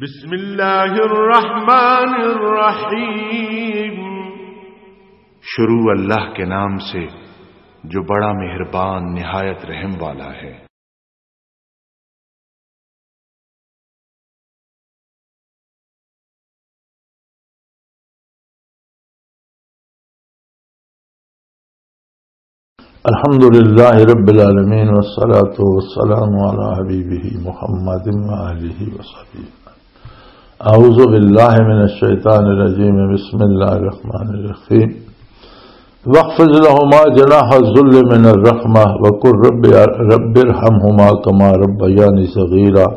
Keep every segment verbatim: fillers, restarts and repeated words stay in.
بسم اللہ الرحمن الرحیم۔ شروع اللہ کے نام سے جو بڑا مہربان نہایت رحم والا ہے۔ الحمد لله رب العالمين، والصلاة والسلام على حبيبه محمد وآله وصحبه. أعوذ بالله من الشيطان الرجيم. بسم الله الرحمن الرحيم. واخفض لهما جناح الذل من الرحمة وقل رب، رب ارحمهما كما ربياني صغيرا.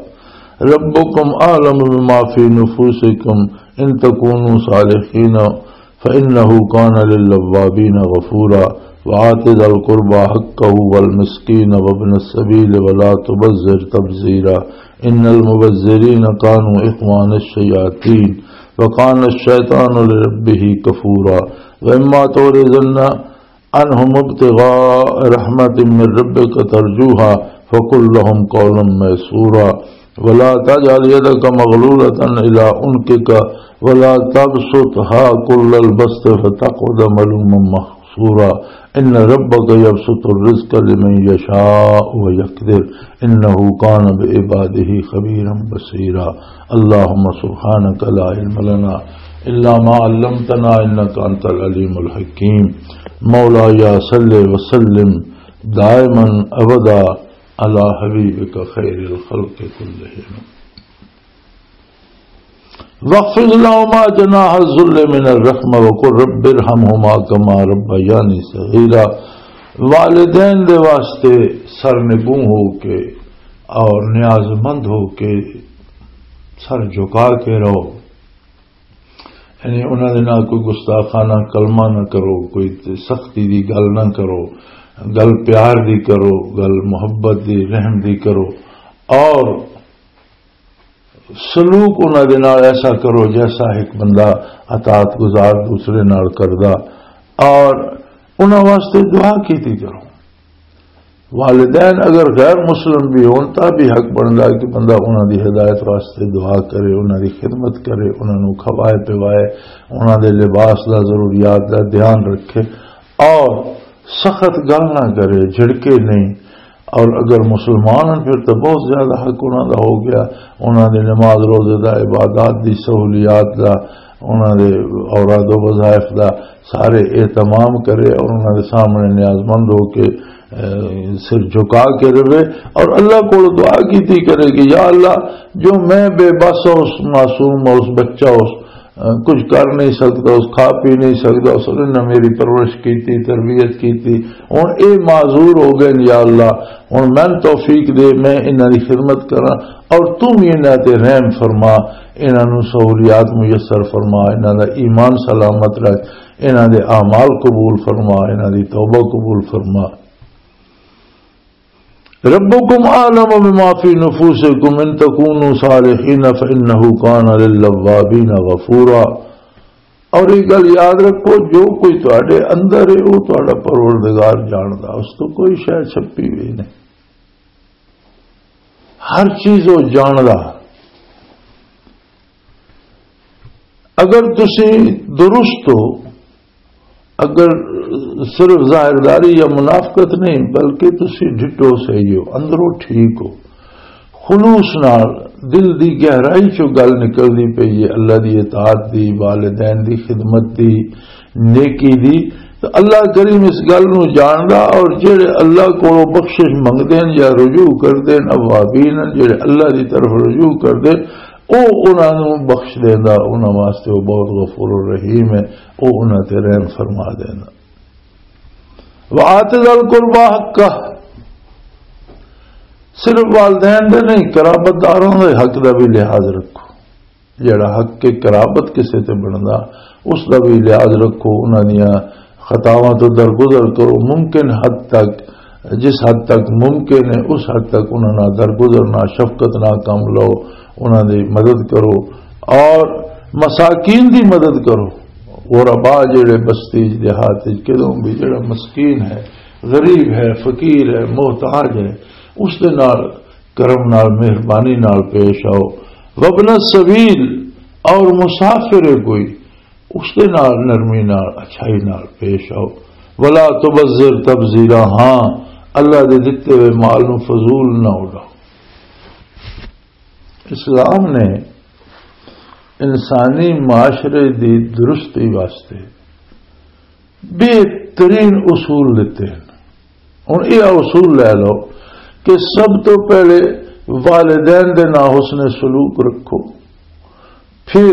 ربكم أعلم بما في نفوسكم إن تكونوا صالحين فإنه كان للأوابين غفورا. وآت ذا القربى حقه والمسكين وابن السبيل ولا تبذر تبذيرا. إن المبذرين كانوا إخوان الشياطين وكان الشيطان لربه كفورا. وإما تعرضن عنهم ابتغاء رحمة من ربك ترجوها فقل لهم قولا ميسورا. ولا تجعل يدك مغلولة إلى عنقك ولا تبسطها كل البسط فتقعد ملوما محسورا. إن ربك يبسط الرزق لمن يشاء ويقدر إنه كان بعباده خبيرا بصيرا. اللهم سبحانك لا علم لنا إلا ما علمتنا إنك أنت العليم الحكيم. مولاي صل وسلم دائما أبدا على حبيبك خير الخلق كلهم. واخفض لهما جناح الذل من الرحمة وقل رب ارحمهما كما ربياني صغيرا. والدین دے واسطے سرنگوں ہو کے اور نیاز مند ہو کے سر جھکا کے رہو، یعنی انہاں دے نال کوئی گستاخانہ کلمہ نہ کرو، کوئی سختی دی گل نہ کرو، گل پیار دی کرو، گل محبت دی، رحم دی کرو، اور سلوک انہاں دے نال ایسا کرو جیسا ایک بندہ اطاعت گزار دوسرے نال کردا، اور انہاں واسطے دعا کیتی کرو۔ والدین اگر غیر مسلم بھی ہون، تاں بھی حق بندا ہے کہ بندہ انہاں دی ہدایت واسطے دعا کرے، انہاں دی خدمت کرے، انہاں نوں کھوائے پوائے، انہاں دے لباس دا، ضروریات دا دھیان رکھے، اور سخت گل نہ کرے، جھڑکے نہیں۔ اور اگر مسلمان ہیں، پھر تو بہت زیادہ حق انہاں دا ہو گیا، انہاں دے نماز روزے دا، عبادات دی سہولیات دا، انہاں دے اوراد و وظائف دا، سارے اہتمام کرے اور انہاں دے سامنے نیاز مند ہو کے، اے، سر جھکا کے رہے اور اللہ کو دعا کیتی کرے کہ یا اللہ، جو میں بے بس ہوں، اس معصوم ہوں، اس بچہ ہوں، اے، کچھ کر نہیں سکتا، اس کھا پی نہیں سکتا، اس نے نہ میری پرورش کیتی، تربیت کیتی، ہن اے معذور ہو گئے، یا اللہ، ہن میں توفیق دے، میں انہاں دی خدمت کراں، اور تو بھی انہاں تے رحم فرما، انہاں نوں سہولیات میسر فرما، انہاں دا ایمان سلامت رکھ، انہاں دے اعمال قبول فرما، انہاں دی توبہ قبول فرما۔ ربکم اعلم بما فی نفوسکم ان تکونوا صالحین فانہ کان للوابین غفورا۔ اور یہ گل یاد رکھو، جو کوئی تواڈے اندر ہے، وہ تواڈا پروردگار جاندا، اس تو کوئی شے چھپی ہوئی نہیں۔ ہر چیز وہ جاندا۔ اگر تسی درست ہو، اگر صرف ظاہرداری یا منافقت نہیں، بلکہ تسی ڈٹھو صحیح ہو، اندروں ٹھیک ہو، خلوص نال، دل دی گہرائی چوں گل نکلدی پئی ہے، اللہ دی اطاعت دی، والدین دی خدمت دی، نیکی دی، تو اللہ کریم اس گل نو جاندا، اور جڑے اللہ کولوں بخشش منگدے ہیں یا رجوع کردے ہیں، اوابین ہیں، جڑے اللہ دی طرف رجوع کردے ہیں، او انہاں نو بخش دیندا، انہاں واسطے او بہت غفور الرحیم ہے، او انہاں تے رحم فرما دیندا۔ وآت ذا القربى حقہ، صرف والدین دے نہیں، قرابت داراں دے حق دا بھی لحاظ رکھو۔ جڑا حق کے قرابت کسے تے بندا، اس دا بھی لحاظ رکھو، انہاں دیاں خطاواں تو درگزر کرو، ممکن حد تک، جس حد تک ممکن ہے، اس حد تک انہاں نال درگزرنا، شفقت نال کم لو، انہاں دی مدد کرو اور مساکین دی مدد کرو۔ غربا جڑے بستی دیہات وچ کدوں بھی جڑا مسکین ہے، غریب ہے، فقیر ہے، محتاج ہے، اس دے نال کرم نال، مہربانی نال پیش آؤ۔ وابن السبیل، اور مسافر ہے کوئی، اس دے نال نرمی نال، اچھائی نال پیش آؤ۔ ولا تبذر تبذیرا، ہاں، اللہ دے دتے ہوئے مال نو فضول نہ اڑاؤ۔ اسلام نے انسانی معاشرے دی درستی واسطے بہترین اصول دتے ہیں۔ ہن یہ اصول لے لو کہ سب تو پہلے والدین دے نال حسن سلوک رکھو، پھر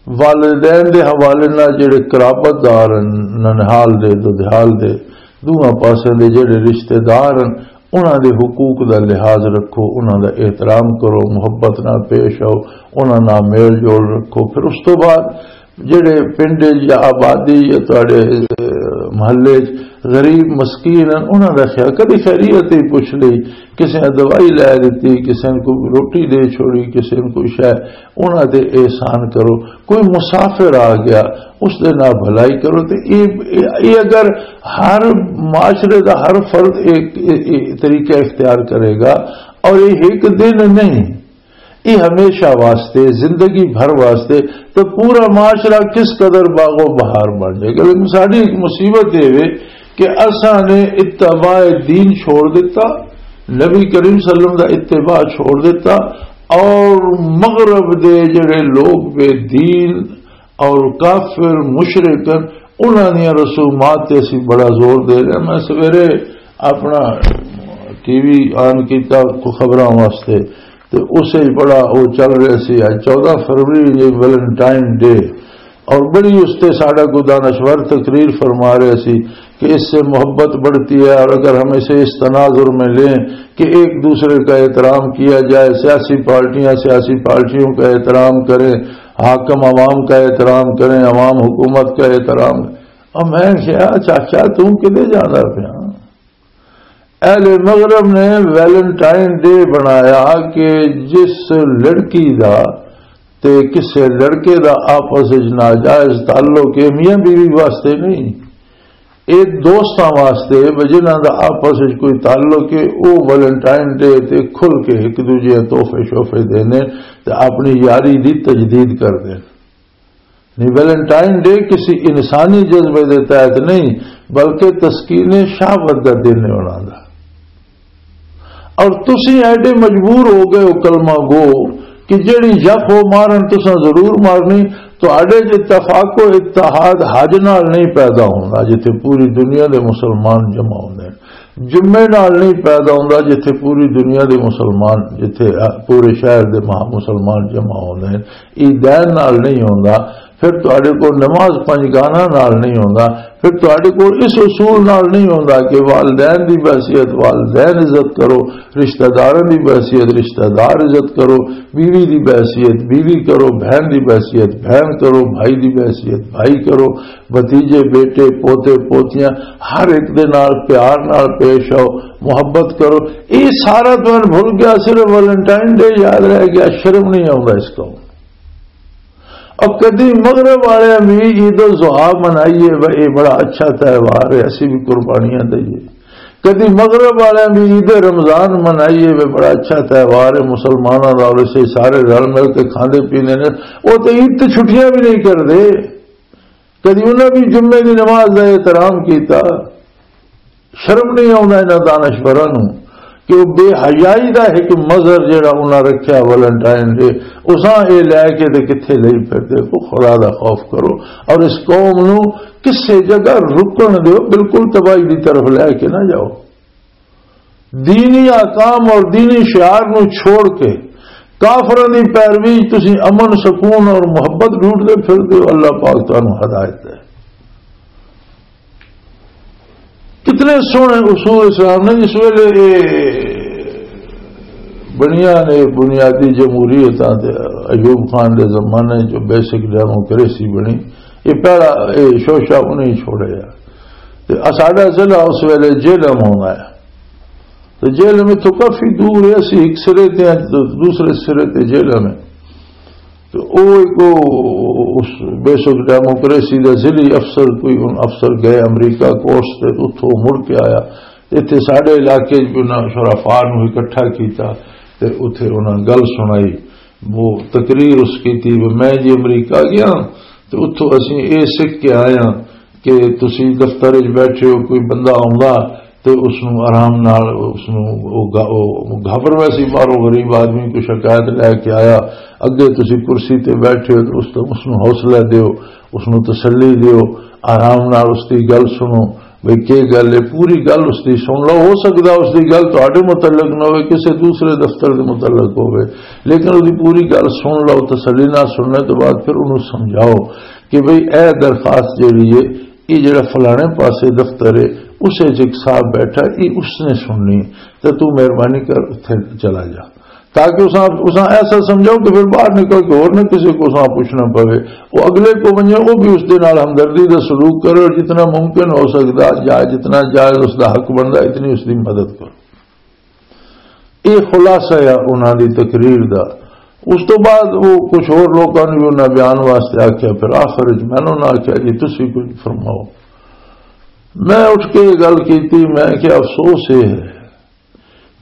والدین دے حوالے نال جڑے قرابت دار ہیں، ننہال دے، دودھیال دے، دوواں پاسے دے جڑے رشتہ دار ہیں، انہاں دے حقوق دا لحاظ رکھو، انہاں دا احترام کرو، محبت نال پیش آؤ، انہاں نال میل جول رکھو۔ پھر اس تو بعد جڑے پنڈ یا آبادی یا تہاڈے، اے، محلے چ غریب مسکین ہیں، انہاں دا خیال، کدی خیریت ہی پوچھ لئی، کسے نے دوائی لے دتی، کسے نے کوئی روٹی دے چھوڑی، کسے نے کوئی شے، انہاں تے احسان کرو۔ کوئی مسافر آ گیا، اس دے نال بھلائی کرو۔ تے اے، اے، اے اگر ہر معاشرے دا ہر فرد ایک، اے، اے طریقہ اختیار کرے گا، اور یہ ایک دن نہیں، یہ ہمیشہ واسطے، زندگی بھر واسطے، تو پورا معاشرہ کس قدر باغ و بہار بن جائے گا۔ لیکن ساری ایک مصیبت یہ ہے کہ اساں نے اتباع دین چھوڑ دیتا، نبی کریم صلی اللہ علیہ وسلم دا اتباع چھوڑ دیتا، اور مغرب دے جڑے لوگ بے دین اور کافر مشرک ہیں، انہاں دیاں رسومات تے اسی بڑا زور دے رہے ہیں۔ میں سویرے اپنا ٹی وی آن کیتا خبراں واسطے، تے اسے بڑا وہ چل رہا سی، اج چودہ فروری، یہ ویلنٹائن ڈے، اور بڑی اس تے ساڈا کوئی دانشور تقریر فرما رہے سی کہ اس سے محبت بڑھتی ہے، اور اگر ہم اسے اس تناظر میں لیں کہ ایک دوسرے کا احترام کیا جائے، سیاسی پارٹیاں سیاسی پارٹیوں کا احترام کریں، حاکم عوام کا احترام کریں، عوام حکومت کا احترام۔ اور میں کہا، چاچا، تم کدے جانا پیا؟ اہل مغرب نے ویلنٹائن ڈے بنایا کہ جس لڑکی دا تے کسے لڑکے دا آپس وچ ناجائز تعلق ہے، میاں بیوی واسطے نہیں، اے دوستاں واسطے، و جنہاں دا آپس وچ کوئی تعلق ہے، او ویلنٹائن ڈے تے کھل کے ایک دوجے تحفے شوفے دینے تے اپنی یاری دی تجدید کر دین۔ نہیں، ویلنٹائن ڈے کسی انسانی جذبے دے تحت نہیں، بلکہ تسکین شہوت دا دن ہے انہاں دا۔ اور تسی ایڈے مجبور ہو گئے ہو کلمہ گو کہ جیڑی یف او مارن تساں ضرور مارنی۔ تہاڈے چ اتفاق و اتحاد حج نال نہیں پیدا ہوندا جتھے پوری دنیا دے مسلمان جمع ہوندے نے۔ جمعے نال نہیں پیدا ہوندا جتھے پوری دنیا دے مسلمان، جتھے پورے شہر دے مہا مسلمان جمع ہوندے نے۔ عیدین نال نہیں ہوندا، پھر تہاڈے کول نماز پنج گانا نال نہیں ہوندا، پھر تہاڈے کول اس اصول نال نہیں ہوندا کہ والدین دی بحیثیت والدین عزت کرو، رشتہ داراں دی بحیثیت رشتہ دار عزت کرو، بیوی دی بحیثیت بیوی کرو، بہن دی بحیثیت بہن کرو، بھائی دی بحیثیت بھائی کرو، بھتیجے، بیٹے، پوتے، پوتیاں، ہر ایک دے نال پیار نال پیش آؤ، محبت کرو۔ یہ سارا تو بھول گیا، صرف ویلنٹائن ڈے یاد رہ گیا، شرم نہیں آؤں اس کو۔ اور کدی مغرب والے بھی عید الضحیٰ منائیے، وہ یہ بڑا اچھا تہوار ہے، اسی بھی قربانیاں دئیے۔ کدی مغرب والے بھی عید رمضان منائیے، وہ بڑا اچھا تہوار ہے مسلمانوں کا، اور اسے سارے رل مل کے کھاندے پیندے نے۔ وہ تو عید تے چھٹیاں بھی نہیں کردے۔ کدی انہاں بھی جمعے دی نماز دا احترام کیتا؟ شرم نہیں آوندا انہاں دانشوراں نوں کہ وہ بے حیائی دا ایک مظہر جڑا انہاں رکھیا ویلنٹائن ڈے، اساں اے لے کے تے کتھے لئی پھردے؟ کو خدا دا خوف کرو اور اس قوم نوں کسے جگہ رکن دیو، بالکل تباہی دی طرف لے کے نہ جاؤ۔ دینی احکام اور دینی شعار نو چھوڑ کے کافراں دی پیروی وچ تسی امن، سکون اور محبت ڈھونڈدے پھردے ہو۔ اللہ پاک تانوں ہدایت دے۔ کتنے سوہنے اصول اسلام نے۔ جس ویلے یہ بنیاں نے بنیادی جمہوریتاں تے ایوب خان دے زمانے جو بیسک ڈیموکریسی بنی، یہ پہلا، یہ شوشہ انہیں چھوڑے آ۔ تے ساڈا ضلع اس ویلے جہلم ہونا ہے۔ تو جہلم اتوں کافی دور ہے، اسی ایک سرے تے ہیں، تو دوسرے سرے تے جہلم ہے۔ تو او ایک او اس بیسک ڈیموکریسی دا ضلعی افسر، کوئی ان افسر گئے امریکہ کورس تے، تو اتھوں مڑ کے آیا۔ اتھے ساڈے علاقے چ بھی انہاں شرفا نوں اکٹھا کیتا تے اتھے انہاں گل سنائی۔ وہ تقریر اس کی تھی، وہ میں جی امریکہ گیا تو اتھوں اسی اے سکھ کے آیا کہ تسی دفتر وچ بیٹھے ہو، کوئی بندہ آوندا تے اس نوں آرام نال، اس نوں او گا-، او گھبر ویسی، باہروں غریب آدمی کوئی شکایت لے کے آیا، اگے تسی کرسی تے بیٹھے ہو تے اس تو، اس نوں حوصلہ دیو، اس نوں تسلی دیو، آرام نال اس دی گل سنو۔ بھئی کی گل ہے، پوری گل اس دی سن لو۔ ہو سکدا اس دی گل تہاڈے متعلق نہ ہوئے، کسے دوسرے دفتر دے متعلق ہوئے، لیکن اس دی پوری گل سن لو، تسلی نال سننے تو بعد پھر انہوں سمجھاؤ کہ بھئی اے درخواست جیڑی ہے، یہ جڑا فلانے پاسے دفتر ہے، اس وچ ایک صاحب بیٹھا، یہ اس نے سننی، تے تو مہربانی کر اتھے چلا جا، تاکہ اساں، اساں ایسا سمجھاؤ کہ پھر باہر نکل کے اور نہ کسی کو اساں پوچھنا پوے۔ وہ اگلے کو ونجے، وہ بھی اس دے نال ہمدردی دا سلوک کرو، اور جتنا ممکن ہو سکدا، جائز، جتنا جائز اس دا حق بندا، اتنی اس دی مدد کرو۔ یہ خلاصہ ہے انہاں دی تقریر دا۔ اس تو بعد وہ کچھ اور لوکاں نے بھی انہاں بیان واسطے آکھیا، پھر آخر وچ میں انہاں آکھیا، "جی تسی کچھ فرماؤ۔" میں اٹھ کے یہ گل کیتی، میں کہ افسوس یہ ہے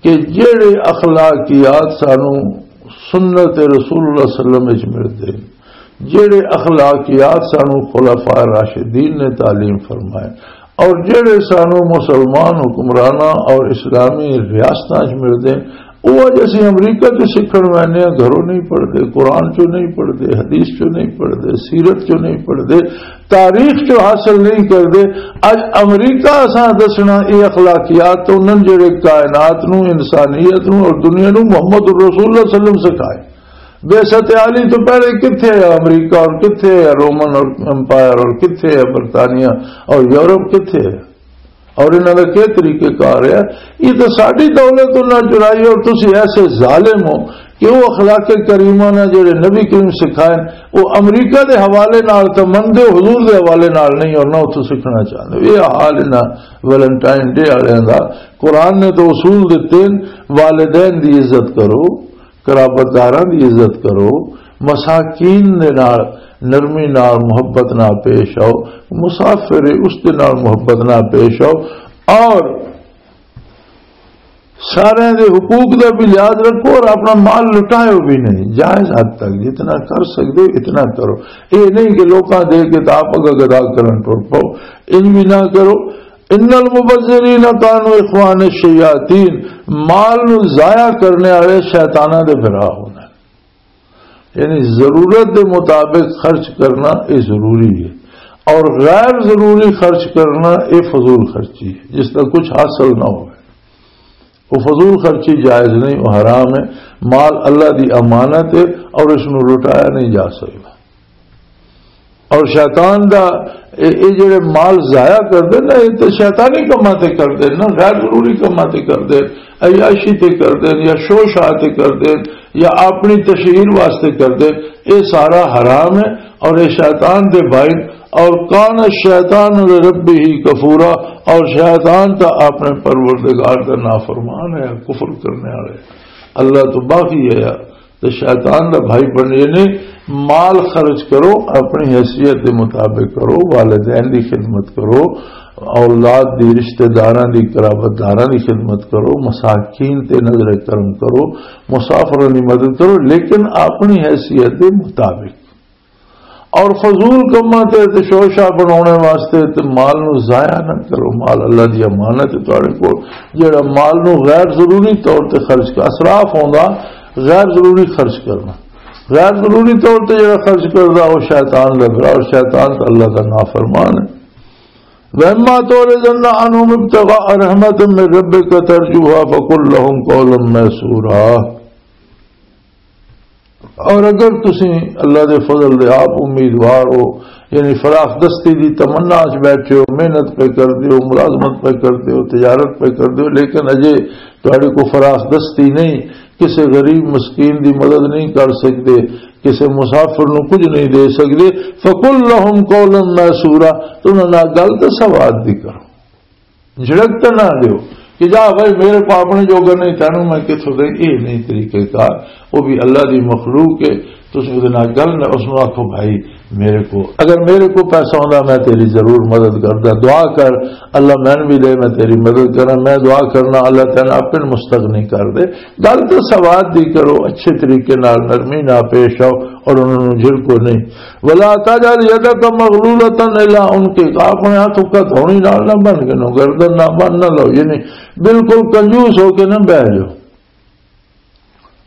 کہ جڑے اخلاقیات سانو سنت رسول اللہ صلی اللہ علیہ وسلم وچ ملدے، جڑے اخلاقیات سانو خلفاء راشدین نے تعلیم فرمائے، اور جڑے سانو مسلمان حکمراناں اور اسلامی ریاستاں وچ ملدے، وہ اج اسی امریکہ چ سیکھن وینے ہاں، گھروں نہیں پڑھدے، قرآن چوں نہیں پڑھدے، حدیث چوں نہیں پڑھدے، سیرت چوں نہیں پڑھدے، تاریخ چوں حاصل نہیں کردے۔ اج امریکہ اساں دسنا، یہ اخلاقیات تو انہاں جڑے کائنات نو، انسانیت نو اور دنیا نو محمد رسول اللہ صلی اللہ علیہ وسلم سکھائے۔ بعثت عالی تو پہلے کتھے ہے امریکہ اور کتھے ہے رومن اور امپائر اور کتھے ہے برطانیہ اور یورپ کتھے ہے؟ اور انہاں دا کیا طریقہ کار ہے؟ یہ تو ساری دولت انہاں چرائی، اور تسی ایسے ظالم ہو کہ وہ اخلاق کریمہ نہ جڑے نبی کریم سکھائے، وہ امریکہ دے حوالے نال تو مندے ہو، حضور دے حوالے نال نہیں، اور نہ اتھوں سیکھنا چاہندے۔ یہ حال انہاں ویلنٹائن ڈے والے دا۔ قرآن نے تو اصول دتے ہیں، والدین دی عزت کرو، قرابت داراں دی عزت کرو، مساکین دے نال نرمی نال، محبت نال پیش آؤ، مسافر ہے اس دے نال محبت نال پیش آؤ، اور سارے دے حقوق دا بھی لحاظ رکھو، اور اپنا مال لٹایو بھی نہیں، جائز حد تک جتنا کر سکتے ہو اتنا کرو۔ یہ نہیں کہ لوکاں دے کے تو آپ اگا گدا کرن ٹر پاؤ، انج بھی نہ کرو۔ ان المبذرین کانوا اخوان الشیاطین، مال نو ضائع کرنے والے شیطاناں دے بھرا ہوندے۔ یعنی ضرورت دے مطابق خرچ کرنا یہ ضروری ہے، اور غیر ضروری خرچ کرنا یہ فضول خرچی ہے، جس کا کچھ حاصل نہ ہو۔ وہ فضول خرچی جائز نہیں، وہ حرام ہے۔ مال اللہ دی امانت ہے، اور اس نو لٹایا نہیں جا سکتا۔ اور شیطان دا اے، اے جڑے مال ضائع کردے نا، اے تے شیطانی کماں تے کردے نا، غیر ضروری کماں تے کردے، عیاشی تے کردے، یا شو شاہ تے کردے، یا اپنی تشہیر واسطے کردے، اے سارا حرام ہے اور اے شیطان دے بھائی۔ اور کان الشیطان لربہ کفورا، اور شیطان تا اپنے پروردگار دا نافرمان ہے، کفر کرنے والے، اللہ تو باغی ہے۔ تے شیطان دا بھائی بننے نے۔ مال خرچ کرو، اپنی حیثیت دے مطابق کرو، والدین دی خدمت کرو، اولاد دی، رشتہ داراں دی، قرابت داراں دی خدمت کرو، مساکین تے نظر کرم کرو، مسافراں دی مدد کرو، لیکن اپنی حیثیت دے مطابق۔ اور فضول کماں تے، تے شوشا بناونے واسطے تے مال نو ضائع نہ کرو۔ مال اللہ دی امانت ہے تہاڈے کول۔ جڑا مال نو غیر ضروری طور تے خرچ کر، اسراف ہوندا غیر ضروری خرچ کرنا۔ غیر ضروری طور تے جڑا خرچ کردا، وہ شیطان دا بھرا، اور شیطان تے اللہ دا نافرمان ہے۔ وَإِمَّا تُعْرِضَنَّ عَنْهُمْ ابْتِغَاءَ رَحْمَةٍ مِّن رَّبِّكَ تَرْجُوهَا فَقُل لَّهُمْ قَوْلًا مَّيْسُورًا۔ اور اگر تسی اللہ دے فضل دے آپ امیدوار ہو، یعنی فراخ دستی دی تمنا اچ بیٹھے ہو، محنت پہ کر دیو، ملازمت پہ کر دیو، تجارت پہ کر دیو، لیکن اجے تہاڈے کو فراخ دستی نہیں، کسے غریب مسکین دی مدد نہیں کر سکدے، کسے مسافر نو کچھ نہیں دے سکدے، فَقُل لَّهُمْ قَوْلًا مَّيْسُورًا، تو انہاں نال گل تے سواد دی کرو۔ جھڑک تے نہ دیو کہ جا بھائی، میرے کو اپنے جوگا نہیں، تینوں میں کتھوں دے۔ یہ نہیں طریقہ کار۔ وہ بھی اللہ دی مخلوق ہے، تسی اودے نال گل نہ، اس نوں آکھو، "بھائی، میرے کو، اگر میرے کو پیسہ ہوندا، میں تیری ضرور مدد کردا۔ دعا کر، اللہ مینوں بھی دے، میں تیری مدد کراں۔" میں دعا کرنا، اللہ تعالیٰ آپ نوں مستغنی کر دے۔ گل تو سواد دی کرو، اچھے طریقے نال نرمی نال پیش آؤ اور انہاں نوں جھڑکو نہیں۔ "ولا تجعل يدك مغلولة إلى عنقك"، اپنے ہاتھ کو ہتھوڑی نال نہ بن کے نو گردن نہ بن نہ لو، یعنی بالکل کنجوس ہو کے نہ بہ جاؤ۔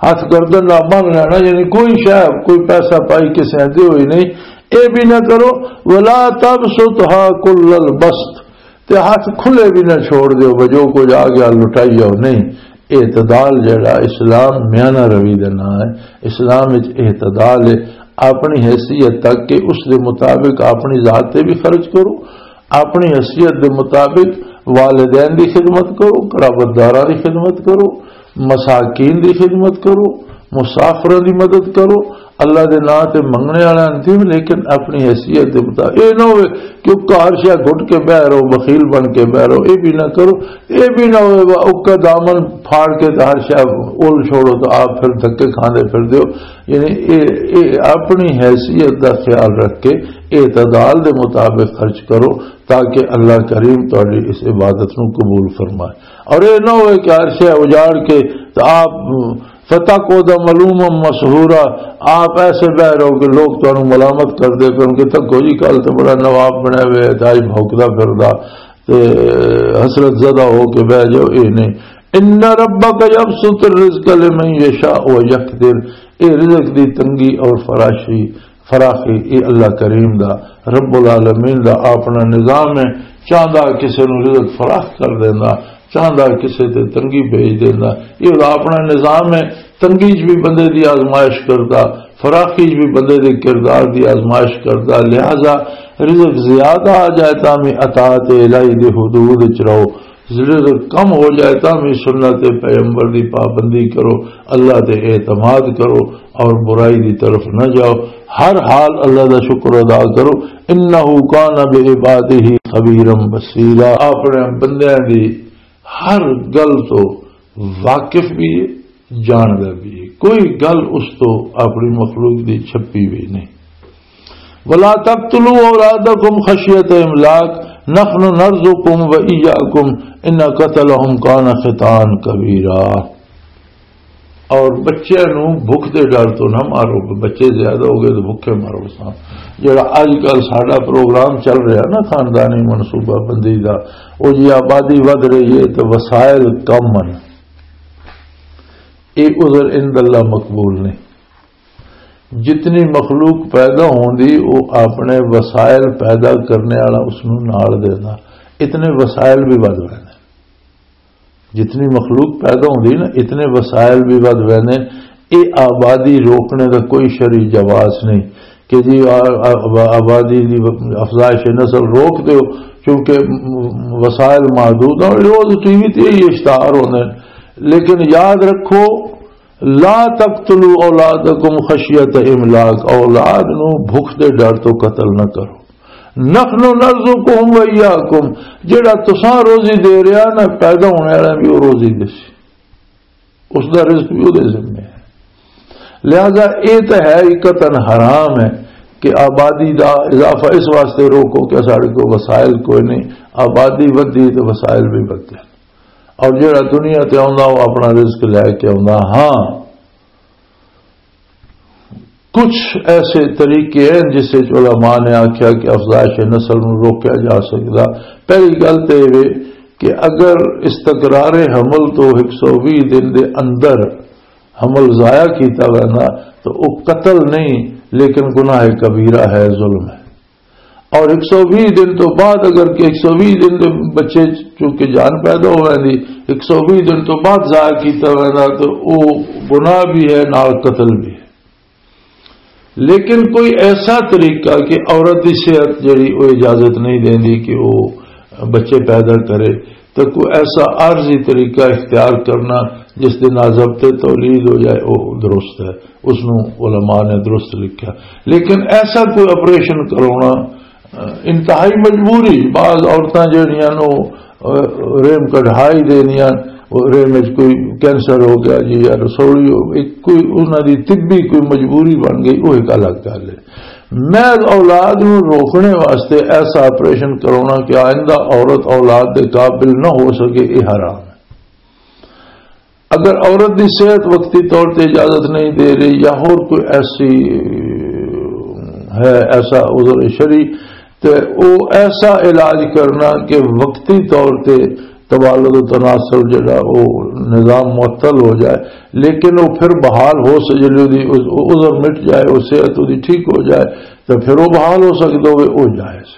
ہاتھ گردن نال بن لینا، یعنی کوئی شے، کوئی پیسہ پائی کسے دے ہوئی نہیں، اے بھی نہ کرو۔ "ولا تبسطها كل البسط"، تے ہاتھ کھلے بھی نہ چھوڑ دیو، بجو کچھ آ گیا لٹائی جاؤ، نہیں۔ اعتدال جڑا اسلام میانہ روی دے نام ہے۔ اسلام وچ اعتدال ہے، اپنی حیثیت تک کہ اس دے مطابق اپنی ذات تے بھی خرچ کرو، اپنی حیثیت دے مطابق والدین دی خدمت کرو، قرابت داراں دی خدمت کرو، مساکین دی خدمت کرو، مسافراں دی مدد کرو، اللہ دے نام تے منگنے والا نہیں، لیکن اپنی حیثیت دے مطابق۔ اے نہ ہوئے کہ او ہر شے گھٹ کے بہ رہو، بخیل بن کے بہ رہو، اے بھی نہ کرو۔ اے بھی نہ ہوئے وا اکا دامن پھاڑ کے تے ہر شے اول چھوڑو تے آپ پھر دھکے کھاندے پھر دیو۔ یعنی اے، اے اپنی حیثیت دا خیال رکھ کے اعتدال دے مطابق خرچ کرو، تاکہ اللہ کریم تہاڈی اس عبادت نو قبول فرمائے۔ اور اے نہ ہوئے کہ ہر شے اجاڑ کے تے آپ فتقعد ملوما مسحورا، آپ ایسے بہ رہو کہ لوگ تانوں ملامت کردے پن کہ تکو جی، کل تے بڑا نواب بنیا ہوئے تے آج بھونکدا پھردا، تے حسرت زدہ ہو کے بہ جاؤ۔ اے نہیں۔ ان ربک یبسط الرزق لمن یشاء ویقدر، اے رزق دی تنگی اور فراشی، فراخی، اے اللہ کریم دا، رب العالمین دا اپنا نظام ہے۔ چاہندا کسے نوں رزق فراخ کر دیندا، چاہندا کسے تے تنگی بھیج دیندا۔ اے دا اپنا نظام ہے۔ تنگی چ بھی بندے دی آزمائش کردا، فراخی چ بھی بندے دے کردار دی آزمائش کردا۔ لہذا رزق زیادہ آ جائے تاں بھی اطاعت الہی دے حدود چ رہو، رزق کم ہو جائے تاں بھی سنت پیغمبر دی پابندی کرو، اللہ تے اعتماد کرو اور برائی دی طرف نہ جاؤ۔ ہر حال اللہ دا شکر ادا کرو۔ انہ کان بعبادہ خبیرا بصیرا، اپنے بندیاں دی ہر گل تو واقف بھی ہے، جاندا بھی ہے۔ کوئی گل اس تو اپنی مخلوق دی چھپی بھی نہیں۔ ولا تقتلوا اولادکم خشیت املاق، نحن نرزقهم وإياكم، ان قتلهم کان خطأ کبیرا۔ اور بچے نو بھوک دے ڈر تو نہ مارو، بچے زیادہ ہو گئے تو بھوکے مارو سان۔ جڑا اج کل ساڈا پروگرام چل رہا نا خاندانی منصوبہ بندی دا، او جی آبادی ودھ رہی ہے تو وسائل کم ہیں، اے عذر عند اللہ مقبول نہیں۔ جتنی مخلوق پیدا ہوندی، وہ اپنے وسائل پیدا کرنے والا اس نوں نال دیندا، اتنے وسائل بھی ودھ ویندے۔ جتنی مخلوق پیدا ہوندی نا، اتنے وسائل بھی ودھ ویندے۔ اے آبادی روکنے دا کوئی شرعی جواز نہیں کہ جی آ-، آ-، آبادی دی افزائش نسل روک دیو، کیونکہ وسائل محدود ہیں۔ روز ٹی وی تے یہ اشتہار ہوندے ہیں، لیکن یاد رکھو، لا تقتلوا اولادکم خشیت املاق، اولاد نو بھوک دے ڈر تو قتل نہ کرو۔ نحن نرزقهم وإياكم، جڑا تساں روزی دے رہا نا، پیدا ہونے والا بھی وہ روزی دے سی، اس دا رزق بھی وہ دے ذمے ہے۔ لہذا اے تے ہے ہی قطعاً حرام ہے کہ آبادی دا اضافہ اس واسطے روکو کہ ساڈے کو وسائل کوئی نہیں، آبادی ودی تے وسائل بھی ودے۔ اور جڑا دنیا تے آوندا، وہ اپنا رزق لے کے آوندا۔ ہاں، کچھ ایسے طریقے ہیں جس وچ علماء نے آکھیا کہ افزائش نسل نوں روکیا جا سکدا۔ پہلی گل تے یہ کہ اگر استقرار حمل تو ایک سو ویہہ دن دے اندر حمل ضائع کیتا ویندا تو وہ قتل نہیں، لیکن گناہ کبیرہ ہے، ظلم ہے۔ اور ایک سو ویہہ دن تو بعد، اگر کہ ایک سو ویہہ دن دے بچے چونکہ جان پیدا ہو ویندی، ایک سو ویہہ دن تو بعد ضائع کیتا ویندا تو وہ گناہ بھی ہے، نال قتل بھی ہے۔ لیکن کوئی ایسا طریقہ کہ عورت دی صحت جڑی وہ اجازت نہیں دیندی کہ وہ بچے پیدا کرے، تو کوئی ایسا عارضی طریقہ اختیار کرنا جس دے نال ضبط تولید ہو جائے، وہ درست ہے، اس نو علماء نے درست لکھا۔ لیکن ایسا کوئی آپریشن کرانا، انتہائی مجبوری، بعض عورتاں جڑیاں نو، اہ، رحم کڈھائی دینیاں، وہ رحم وچ کوئی کینسر ہو گیا جی، یا رسولی ہو گئی، کوئی انہاں دی طبی کوئی مجبوری بن گئی، وہ ایک الگ گل ہے۔ محض اولاد نوں روکنے واسطے ایسا آپریشن کرانا کہ آئندہ عورت اولاد دے قابل نہ ہو سکے، یہ حرام ہے۔ اگر عورت دی صحت وقتی طور تے اجازت نہیں دے رہی یا اور کوئی ایسی ہے، ایسا عذر شرعی، تے او ایسا علاج کرنا کہ وقتی طور تے تبالد و تناسل جڑا او نظام معطل ہو جائے، لیکن او پھر بحال ہو سکے، جلدی او عذر مٹ جائے، او صحت اودی ٹھیک ہو جائے، تے پھر او بحال ہو سکدا ہوئے، او جائز۔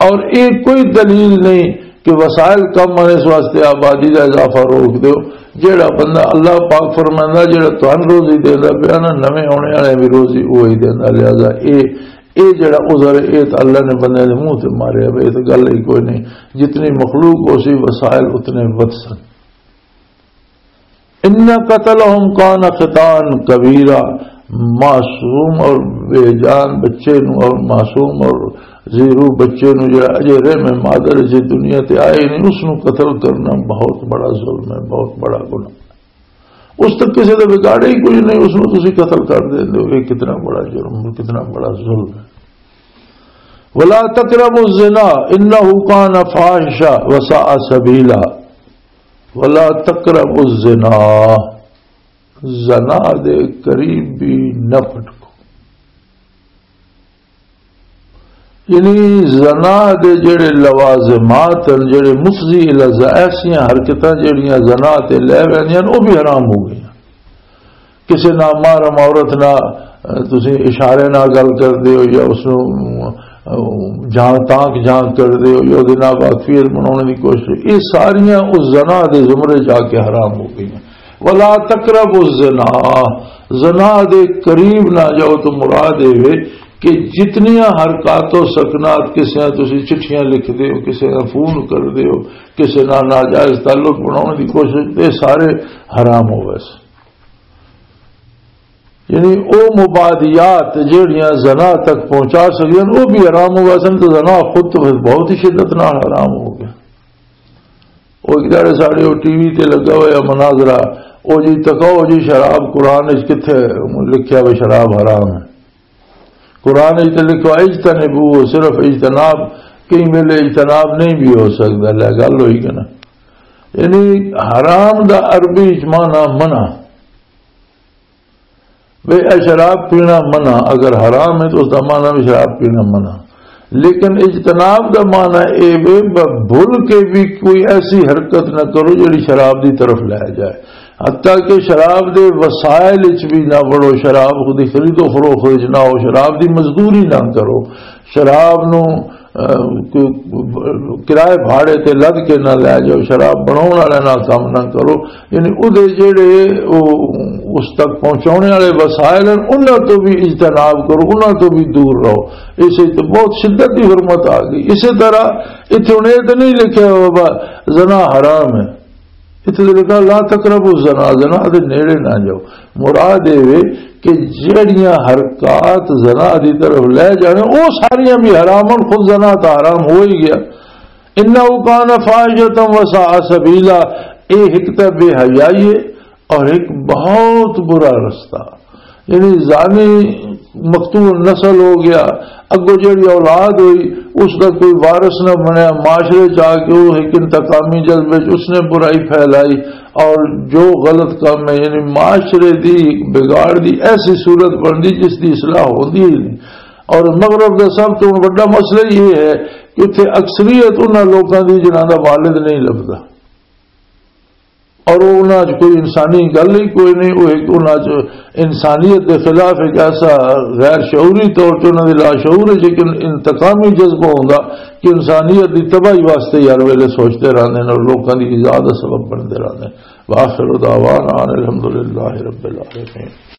اور یہ کوئی دلیل نہیں کہ وسائل کم آنے اس واسطے آبادی کا اضافہ روک دیو۔ جیڑا بندہ، اللہ پاک فرمائندا، جیڑا تہن روزی دیندا پیا نا، نویں آنے والے بھی روزی وہی دیندا۔ لہذا اے، اے جیڑا عذر ہے، اے تے اللہ نے بندے دے منہ تے مارے، اب اے تے گل ہی کوئی نہیں۔ جتنی مخلوق ہو سی، وسائل اتنے ود سن۔ ان قتلہم کان خطان کبیرہ، معصوم اور بے جان بچے نو اور معصوم اور زیرو بچے نو جڑا اجے رحم مادر جے دنیا تے آئے نہیں، اس نو قتل کرنا بہت بڑا ظلم ہے، بہت بڑا گناہ۔ اس تک کسی دے بگاڑے ہی کوئی نہیں، اس نو تسی قتل کر دیندے ہو، یہ کتنا بڑا جرم، کتنا بڑا ظلم ہے۔ ولا تقربوا الزنا انہ کان فاحشہ وساء سبیلا۔ ولا تقربوا الزنا، زنا دے قریب بھی نہ پھٹکو۔ یعنی زنا دے جڑے لوازمات ہیں، جڑے مفضی الی الزنا، ایسیاں حرکتاں جڑیاں زنا تے لے ویندیاں، وہ بھی حرام ہو گئیاں۔ کسے نامحرم عورت نال، اہ، تسی اشارے نال گل کردے ہو یا اس نوں، اہ، جھانک تانک جھانک کردے ہو یا اودے نال واقفیت بناؤن دی کوشش، یہ ساریاں اس زنا دے زمرے جا کے حرام ہو گئیاں۔ ولا تقربوا الزنا، زنا دے قریب نہ جاؤ۔ تو مراد اے وے کہ جتنیاں حرکات و سکنات، کسے نال تسی چٹھیاں لکھدے ہو، کسے نال فون کردے ہو، کسے نال ناجائز تعلق بناؤن دی کوشش، یہ سارے حرام ہو ویسے۔ یعنی او مبادیات جہڑیاں زنا تک پہنچا سکدیاں، او بھی حرام ہو ویسن۔ تو زنا خود تو پھر بہت ہی شدت نال حرام ہو گیا۔ او ایک داڑے ساڑے او ٹی وی تے لگا ہویا مناظرہ، او جی تکاؤ جی شراب قرآن وچ کتھے لکھیا وے شراب حرام ہے؟ قرآن وچ تے لکھو اجتنبو، صرف اجتناب، کئی ویلے اجتناب نہیں بھی ہو سکدا، لے گل ہوئی کہ نا؟ یعنی حرام دا عربی وچ معنی منع۔ بے اے شراب پینا منع، اگر حرام ہے تو اس دا معنی بھی شراب پینا منع۔ لیکن اجتناب دا معنی اے وے ب-، بھول کے بھی کوئی ایسی حرکت نہ کرو جڑی شراب دی طرف لے جائے۔ حتیٰ کہ شراب دے وسائل وچ بھی نہ وڑو، شراب دی خرید و فروخت وچ نہ ہو، شراب دی مزدوری نہ کرو، شراب نو، اہ، کوئی کرائے بھاڑے تے لد کے نہ لے جاؤ، شراب بناؤن والے نال کم نہ کرو۔ یعنی اودے جڑے او اس تک پہنچاؤنے والے وسائل ہیں، انہاں تو بھی اجتناب کرو، انہاں تو بھی دور رہو۔ اسے تو بہت شدت دی حرمت آ گئی۔ اسی طرح اتھے ہن اے تے نہیں لکھیا ہوا زنا حرام ہے، اتھے تے لکھا لا تقربوا الزنا، زنا دے نیڑے نہ جاؤ۔ مراد اے وے کہ جڑیاں حرکات زنا دی طرف لے جانے، او ساریاں بھی حرام ہن، خود زنا تا حرام ہو ہی گیا۔ انہ کان فاحشۃ وساء سبیلا، اے ایک تے بے حیائی ہے اور ایک بہت برا رستہ۔ یعنی زانی مقتول نسل ہو گیا، اگوں جڑی اولاد ہوئی، اس دا کوئی وارث نہ بنیا، معاشرے چ آ کے وہ ایک انتقامی جذبے چ اس نے برائی پھیلائی، اور جو غلط کام ہے، یعنی معاشرے دی بگاڑ دی ایسی صورت بن دی جس دی اصلاح ہوندی ہی نہیں۔ اور مغرب دا سب تو بڑا مسئلہ یہ ہے کہ اتھے اکثریت انہاں لوکاں دی جنہاں دا والد نہیں لبدا۔ اور وہ انہاں چ کوئی انسانی گل ہی کوئی نہیں، وہ ایک انہاں چ انسانیت دے خلاف ایک ایسا غیر شعوری طور تے انہاں دے لاشعور ہے، لیکن انتقامی جذبہ ہوندا کہ انسانیت دی تباہی واسطے ہر ویلے سوچتے رہندے نے اور لوکاں دی ایذا دا سبب بنتے رہندے نے۔ وآخر دعوانا ان الحمدللہ رب العالمین۔